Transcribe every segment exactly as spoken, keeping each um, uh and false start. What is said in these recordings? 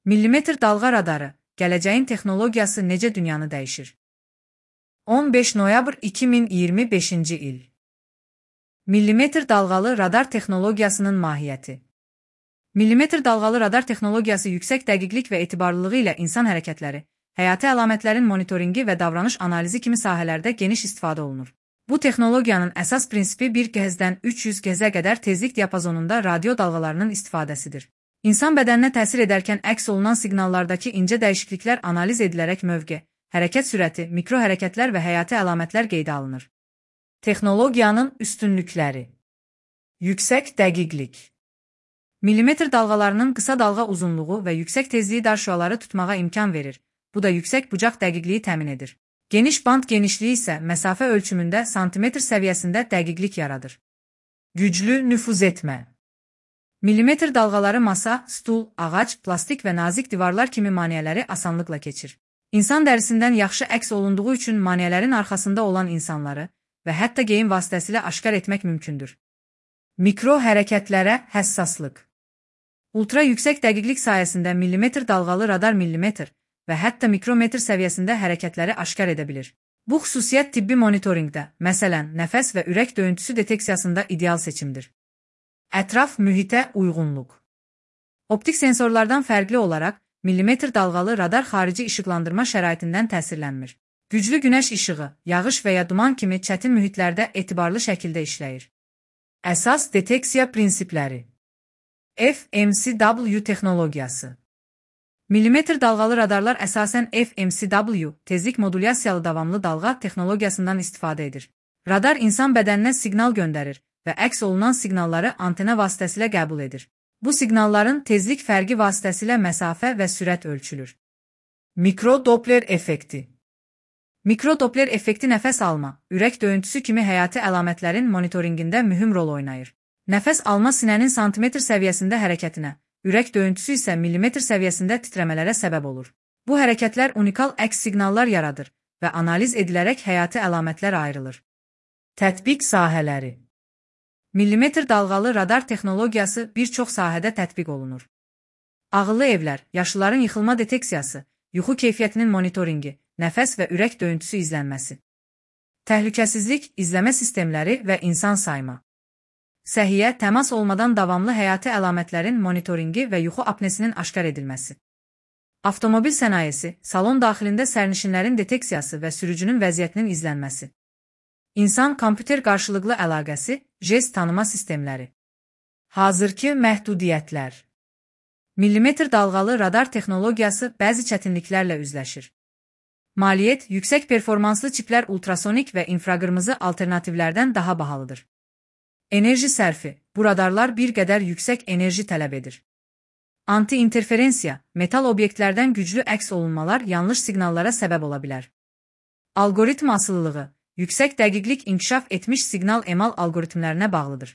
Millimetr dalğa radarı, gələcəyin texnologiyası necə dünyanı dəyişir? on beş noyabr iki min iyirmi beşinci il. Millimetr dalğalı radar texnologiyasının mahiyyəti. Millimetr dalğalı radar texnologiyası yüksək dəqiqlik və etibarlılığı ilə insan hərəkətləri, həyati əlamətlərin monitoringi və davranış analizi kimi sahələrdə geniş istifadə olunur. Bu texnologiyanın əsas prinsipi bir gehzdən üç yüz gehzə qədər tezlik diapazonunda radio dalğalarının istifadəsidir. İnsan bədəninə təsir edərkən əks olunan siqnallardakı incə dəyişikliklər analiz edilərək mövqe, hərəkət sürəti, mikro hərəkətlər və həyati əlamətlər qeydə alınır. Texnologiyanın üstünlükləri. Yüksək dəqiqlik. Millimetr dalğalarının qısa dalğa uzunluğu və yüksək tezliyi dar şüaları tutmağa imkan verir. Bu da yüksək bucaq dəqiqliyi təmin edir. Geniş band genişliyi isə məsafə ölçümündə santimetr səviyyəsində dəqiqlik yaradır. Güclü nüfuz etmə. Millimetr dalğaları masa, stul, ağac, plastik və nazik divarlar kimi maneələri asanlıqla keçir. İnsan dərisindən yaxşı əks olunduğu üçün maneələrin arxasında olan insanları və hətta geyim vasitəsilə aşkar etmək mümkündür. Mikro hərəkətlərə həssaslıq. Ultra yüksək dəqiqlik sayəsində millimetr dalğalı radar millimetr və hətta mikrometr səviyyəsində hərəkətləri aşkar edə bilir. Bu xüsusiyyət tibbi monitorinqdə, məsələn, nəfəs və ürək döyüntüsü deteksiyasında ideal seçimdir. Ətraf mühitə uyğunluq. Optik sensorlardan fərqli olaraq, millimetr dalğalı radar xarici işıqlandırma şəraitindən təsirlənmir. Güclü günəş işığı, yağış və ya duman kimi çətin mühitlərdə etibarlı şəkildə işləyir. Əsas deteksiya prinsipləri. F M C W texnologiyası. Millimetr dalğalı radarlar əsasən F M C W, tezlik modulyasiyalı davamlı dalğa texnologiyasından istifadə edir. Radar insan bədəninə siqnal göndərir və əks olunan siqnalları antena vasitəsilə qəbul edir. Bu siqnalların tezlik fərqi vasitəsilə məsafə və sürət ölçülür. Mikrodopler effekti. Mikrodopler effekti nəfəs alma, ürək döyüntüsü kimi həyati əlamətlərin monitorinqində mühüm rol oynayır. Nəfəs alma sinənin santimetr səviyyəsində hərəkətinə, ürək döyüntüsü isə millimetr səviyyəsində titrəmələrə səbəb olur. Bu hərəkətlər unikal əks siqnallar yaradır və analiz edilərək həyati əlamətlər ayrılır. Tətbiq sahələri. Millimetr dalğalı radar texnologiyası bir çox sahədə tətbiq olunur. Ağıllı evlər, yaşlıların yıxılma deteksiyası, yuxu keyfiyyətinin monitoringi, nəfəs və ürək döyüntüsü izlənməsi. Təhlükəsizlik, izləmə sistemləri və insan sayma. Səhiyyə, təmas olmadan davamlı həyati əlamətlərin monitoringi və yuxu apnesinin aşkar edilməsi. Avtomobil sənayesi, salon daxilində sərnişinlərin deteksiyası və sürücünün vəziyyətinin izlənməsi. İnsan kompüter qarşılıqlı əlaqəsi, jest tanıma sistemləri. Hazırki məhdudiyyətlər. Millimetr dalğalı radar texnologiyası bəzi çətinliklərlə üzləşir. Maliyyət, yüksək performanslı çiplər ultrasonik və infraqırmızı alternativlərdən daha bahalıdır. Enerji sərfi, bu radarlar bir qədər yüksək enerji tələb edir. Anti-interferensiya, metal obyektlərdən güclü əks olunmalar yanlış siqnallara səbəb ola bilər. Algoritm asılılığı, yüksək dəqiqlik inkişaf etmiş siqnal emal algoritmlərinə bağlıdır.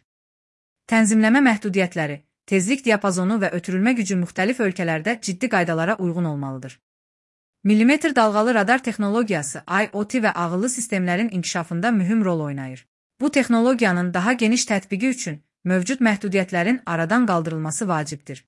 Tənzimləmə məhdudiyyətləri, tezlik diapazonu və ötürülmə gücü müxtəlif ölkələrdə ciddi qaydalara uyğun olmalıdır. Millimetr dalğalı radar texnologiyası I O T və ağıllı sistemlərin inkişafında mühüm rol oynayır. Bu texnologiyanın daha geniş tətbiqi üçün mövcud məhdudiyyətlərin aradan qaldırılması vacibdir.